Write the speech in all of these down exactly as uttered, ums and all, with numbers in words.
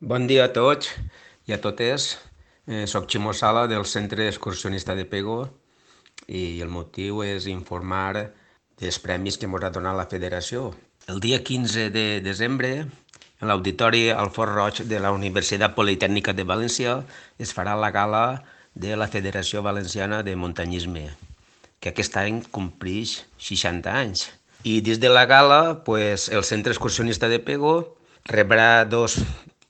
Bon dia a tots i a totes. Eh, soc Ximo Sala del Centre Excursionista de Pego i el motiu és informar dels premis que ens ha donat la federació. El dia quinze de desembre, en l'auditori al Fort Roig de la Universitat Politècnica de València, es farà la gala de la Federació Valenciana de Muntanyisme, que aquest any complix seixanta anys. I dins de la gala, pues, el Centre Excursionista de Pego rebrà dos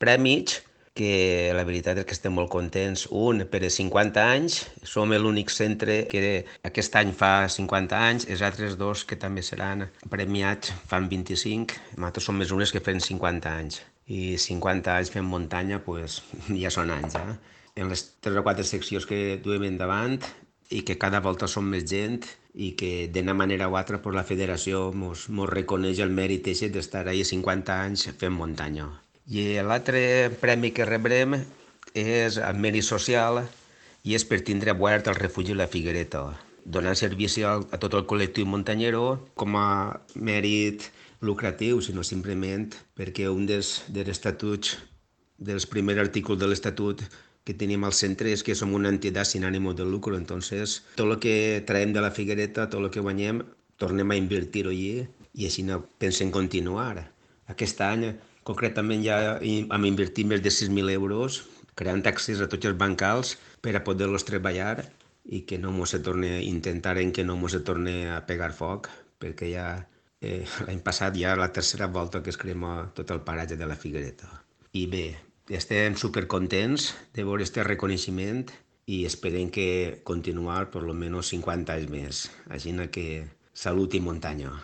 premis que la veritat és que estem molt contents. Un per als cinquanta anys, som l'únic centre que aquest any fa cinquanta anys, els altres dos que també seran premiats fan vint-i-cinc, nosaltres som més unes que fem cinquanta anys. I cinquanta anys fent muntanya, pues, ja són anys, eh? En les tres o quatre seccions que duem endavant i que cada volta som més gent i que d'una manera o altra pues, la federació mos, mos reconeix el mèrit aquest d'estar ahí cinquanta anys fent muntanya. I l'altre premi que rebrem és el mèrit social i és per tindre obert el refugi La Figuereta, donant servici a, a tot el col·lectiu muntanyero com a mèrit lucratiu, sinó simplement perquè un dels, dels estatuts, dels primers artículos de l'estatut que tenim al centre és que som una entitat sin ánimo de lucro, entonces tot el que traiem de la Figuereta, tot el que guanyem, tornem a invertir-ho allí i així no pensem continuar. Aquest any, concretament, ja hem invertit més de sis mil euros creant accés a tots els bancals per a poder-los treballar i que no mos se torne, intentarem que no mos se torne a pegar foc, perquè ja eh, l'any passat ja la tercera volta que es crema tot el paratge de la Figuereta. I bé, estem supercontents de veure aquest reconeixement i esperem que continuar per almenys cinquanta anys més. Així que salut i muntanya.